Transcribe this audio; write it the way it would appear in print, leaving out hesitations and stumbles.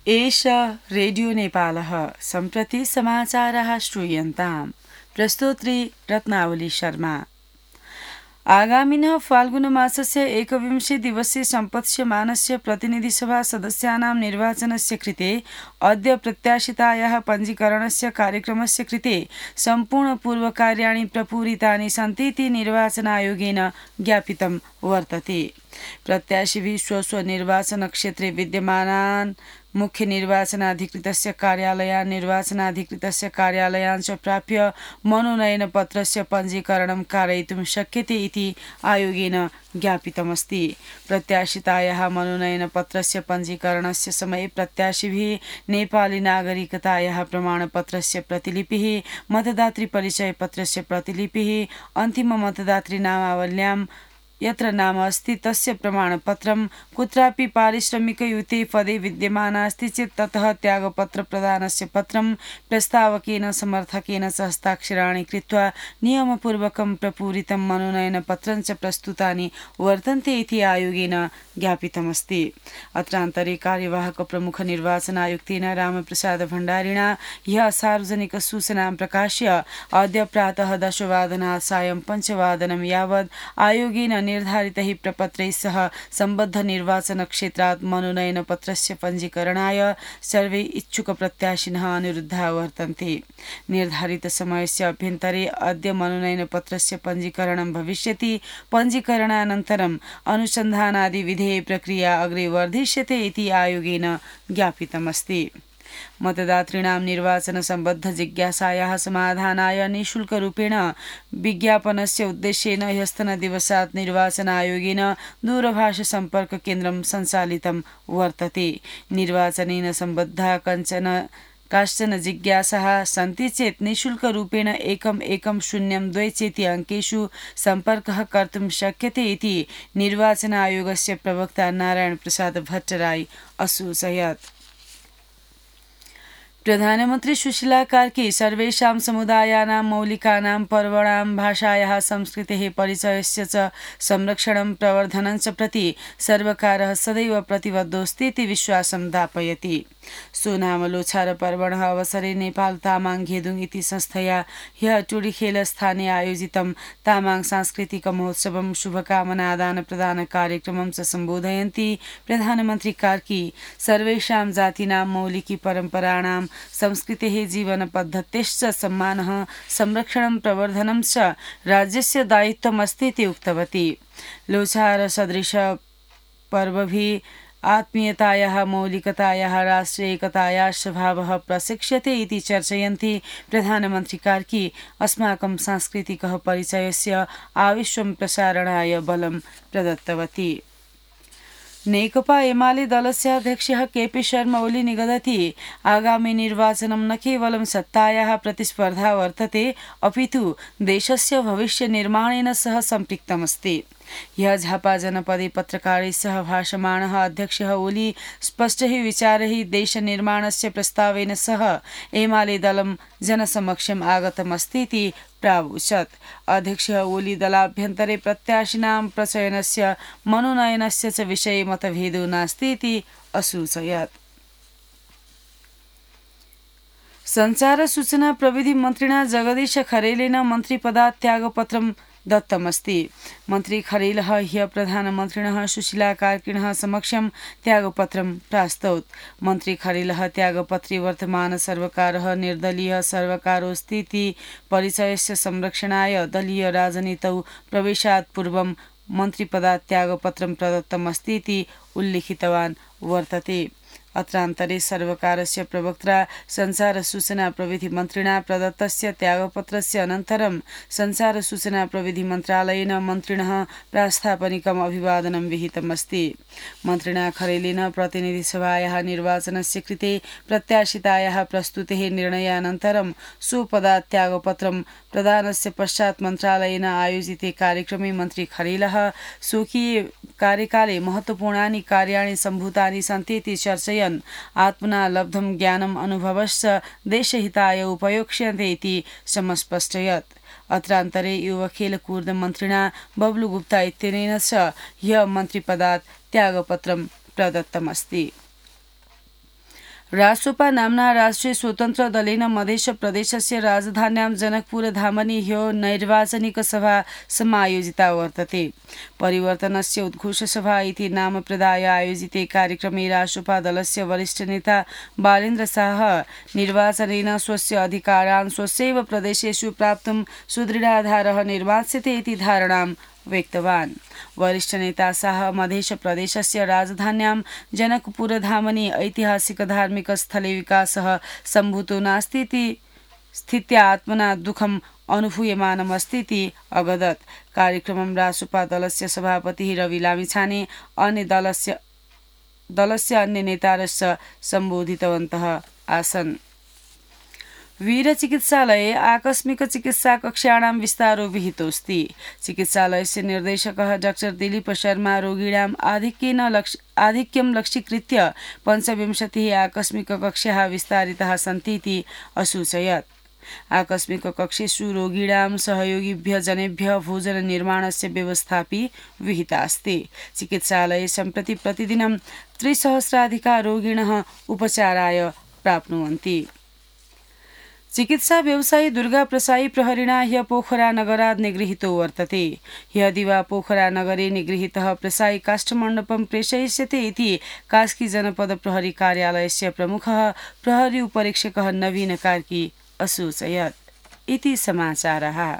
एष रेडियो नेपालः सम्प्रति समाचारः श्रूयन्ताम्। प्रस्तोत्री रत्नावली शर्मा। आगामिनः फाल्गुनमासस्य 21 दिवसे सम्पत्स्यमानस्य प्रतिनिधिसभा सदस्यानां निर्वाचनस्य कृते अद्य प्रत्याशितायाः पञ्जीकरणस्य कार्यक्रमस्य कृते सम्पूर्णपूर्वकार्याणि प्रपूरितानि सन्ति इति निर्वाचनायोगेन ज्ञापितं वर्तते। प्रत्याशिभिः स्वस्वनिर्वाचनक्षेत्रे विद्यमानान् मुख्य निर्वाचनाधिकृतस्य कार्यालयान् निर्वाचनाधिकृतस्य कार्यालयान् च प्राप्य मनोनयनपत्रस्य पञ्जीकरणं कारयितुं शक्यते इति आयोगेन ज्ञापितमस्ति। प्रत्याशितायाः मनोनयनपत्रस्य पञ्जीकरणस्य समये प्रत्याशिभिः नेपाली नागरिकतायाः प्रमाणपत्रस्य प्रतिलिपिः, मतदातृपरिचयपत्रस्य प्रतिलिपिः, अन्तिममतदातृनामावल्यां यत्र नाम अस्ति तस्य प्रमाणपत्रं, कुत्रापि पारिश्रमिकयुते पदे विद्यमानास्ति चेत् ततः त्यागपत्र प्रदानस्य पत्रं प्रस्तावकेन समर्थकेन च हस्ताक्षराणि कृत्वा नियमपूर्वकं प्रपूरितं मनोनयनपत्रं च प्रस्तुतानि वर्तन्ते इति आयोगेन ज्ञापितमस्ति। अत्रान्तरे कार्यवाहक प्रमुख निर्वाचनायुक्तेन रामप्रसाद भण्डारिणा ह्यः सार्वजनिक सूचनां प्रकाश्य अद्य प्रातः 10 वादनात् सायं 5 वादनं यावत् आयोगेन निर्धारितैः प्रपत्रैः सह सम्बद्ध निर्वाचन क्षेत्रात् मनोनयनपत्रस्य पञ्जीकरणाय सर्वे इच्छुक प्रत्याशिनः अनुरुद्धा वर्तन्ते। निर्धारित समयस्य अभ्यन्तरे अद्य मनोनयनपत्रस्य पञ्जीकरणं भविष्यति। पञ्जीकरणानन्तरम् अनुसन्धानादि विधेय प्रक्रिया अग्रे वर्धिष्यते इति आयोगेन ज्ञापितमस्ति। मतदातॄणां निर्वाचन सम्बद्ध जिज्ञासायाः समाधानाय निःशुल्करूपेण विज्ञापनस्य उद्देश्येन ह्यस्तनदिवसात् निर्वाचन आयोगेन दूरभाष सम्पर्क केन्द्रं सञ्चालितं वर्तते। निर्वाचनेन सम्बद्धा काश्चन जिज्ञासाः सन्ति चेत् निःशुल्करूपेण 1102 चेति अङ्केषु सम्पर्कः कर्तुं शक्यते इति निर्वाचन आयोगस्य प्रवक्ता नारायण प्रसाद भट्टराई असूचयत्। प्रधानमन्त्री सुशीला कार्की सर्वेषां समुदायानां मौलिकानां पर्वणां भाषायाः संस्कृतेः परिचयस्य च संरक्षणं प्रवर्धनं च प्रति सर्वकारः सदैव प्रतिबद्धोऽस्ति इति विश्वासं दापयति। सोनाम लोछार पर्वणः अवसरे नेपाल तामाङ घेदुङ इति संस्थया ह्यः टुडीखेल स्थाने आयोजितं तामाङ सांस्कृतिक महोत्सवं शुभकामना आदान प्रदान कार्यक्रमं च सम्बोधयन्ती प्रधानमन्त्री कार्की सर्वेषां जातीनां मौलिकी परम्पराणां संस्कृतेः जीवनपद्धतेश्च सम्मानः संरक्षणं प्रवर्धनं च राज्यस्य दायित्वमस्ति इति उक्तवती। लोछार सदृश पर्वभिः आत्मीयतायाः मौलिकतायाः राष्ट्रियैकतायाः स्वभावः प्रशिक्ष्यते इति चर्चयन्ती प्रधानमन्त्री कार्की अस्माकं सांस्कृतिकः परिचयस्य आविश्वं प्रसारणाय बलं प्रदत्तवती। नेकपा एमाले दलस्य अध्यक्षः केपी शर्मा ओली निगदति आगामी निर्वाचनं न केवलं सत्तायाः प्रतिस्पर्धा वर्तते अपितु देशस्य भविष्य निर्माणेन सह सम्पृक्तमस्ति। ह्यः झापा जनपदे पत्रकारैः सह भाषमाणः अध्यक्षः ओली स्पष्टैः विचारैः देशनिर्माणस्य प्रस्तावेन सह एमाले दलं जनसमक्षम् आगतमस्ति इति प्रावोचत्। अध्यक्षः ओली दलाभ्यन्तरे प्रत्याशिनां प्रचयनस्य मनोनयनस्य च विषये मतभेदो नास्ति इति असूचयत्। संचार सूचना प्रविधि मन्त्रिणा जगदीश खरेलेन मन्त्रिपदात् त्यागपत्रं दत्तमस्ति। मन्त्री खरेलः ह्यः प्रधानमन्त्रिणः सुशीला कार्किणः समक्षं त्यागपत्रं प्रास्तौत्। मन्त्री खरेलः त्यागपत्रे वर्तमान सर्वकारः निर्दलीय सर्वकारोऽस्ति इति परिचयस्य संरक्षणाय दलीय राजनीतौ प्रवेशात् पूर्वं मन्त्रिपदात् त्यागपत्रं प्रदत्तमस्ति इति उल्लिखितवान् वर्तते। अत्रान्तरे सर्वकारस्य प्रवक्त्रा संचार सूचना प्रविधि मन्त्रिणा प्रदत्तस्य त्यागपत्रस्य अनन्तरं संचार सूचना प्रविधि मन्त्रालयेन मन्त्रिणः प्रास्थापनिकम् अभिवादनं विहितमस्ति। मन्त्रिणा खरेलेन प्रतिनिधिसभायाः निर्वाचनस्य कृते प्रत्याशितायाः प्रस्तुतेः निर्णयानन्तरं स्वपदात् त्यागपत्रं प्रदानस्य पश्चात् मन्त्रालयेन आयोजिते कार्यक्रमे मन्त्री खरेलः स्वकीय कार्यकाले महत्त्वपूर्णानि कार्याणि सम्भूतानि सन्ति इति चर्चयन् आत्मना लब्धं ज्ञानम् अनुभवश्च देशहिताय उपयोक्ष्यन्ते इति समस्पष्टयत्। अत्रान्तरे युवा खेलकूद मन्त्रिणा बबलू गुप्ता इत्यनेन च ह्यः मन्त्रिपदात् त्यागपत्रं प्रदत्तमस्ति। रासोपा नाम्ना राष्ट्रिय स्वतन्त्र दलेन मध्य प्रदेशस्य राजधान्यां जनकपुरधामनि ह्यो नैर्वाचनिकसभा समायोजिता वर्तते। परिवर्तनस्य उद्घोषसभा इति नाम प्रदाय आयोजिते कार्यक्रमे रासोपा दलस्य वरिष्ठ नेता बालेन्द्र शाह निर्वाचनेन स्वस्य अधिकारान् स्वस्यैव प्रदेशेषु प्राप्तुं सुदृढाधारः निर्मास्यते इति धारणां व्यक्तवान्। वरिष्ठ नेता शाह मध्य प्रदेशस्य राजधान्यां जनकपुरधामनि ऐतिहासिक धार्मिक स्थले विकासः सम्भूतो नास्ति इति स्थित्या आत्मना दुःखम् अनुभूयमानमस्ति इति अवदत्। कार्यक्रमं रासोपा दलस्य सभापतिः रवि लामिछाने अन्य दलस्य अन्य नेतारश्च सम्बोधितवन्तः आसन्। वीरचिकित्सालये आकस्मिक चिकित्सा कक्षाणां विस्तारो विहितोऽस्ति। चिकित्सालयस्य निर्देशकः डाक्टर दिलीप शर्मा रोगिणाम् आधिक्यं लक्ष्यीकृत्य 25 आकस्मिक कक्षाः विस्तारिताः सन्ति इति असूचयत्। आकस्मिक कक्षेषु रोगिणां सहयोगिभ्यः जनेभ्यः भोजन निर्माणस्य व्यवस्थापि विहिता अस्ति। चिकित्सालये सम्प्रति प्रतिदिनं 300 रोगिणः उपचाराय प्राप्नुवन्ति। चिकित्सा व्यवसायी दुर्गा प्रसाई प्रहरिणा ह्यः पोखरा नगरात् निगृहीतो वर्तते। ह्यः दिवा पोखरा नगरे निगृहीतः प्रसाई काष्ठमण्डपं प्रेषयिष्यते इति कास्की जनपद प्रहरी कार्यालयस्य प्रमुखः प्रहरी उपरीक्षकः नवीन कार्की असूचयत्। इति समाचारः।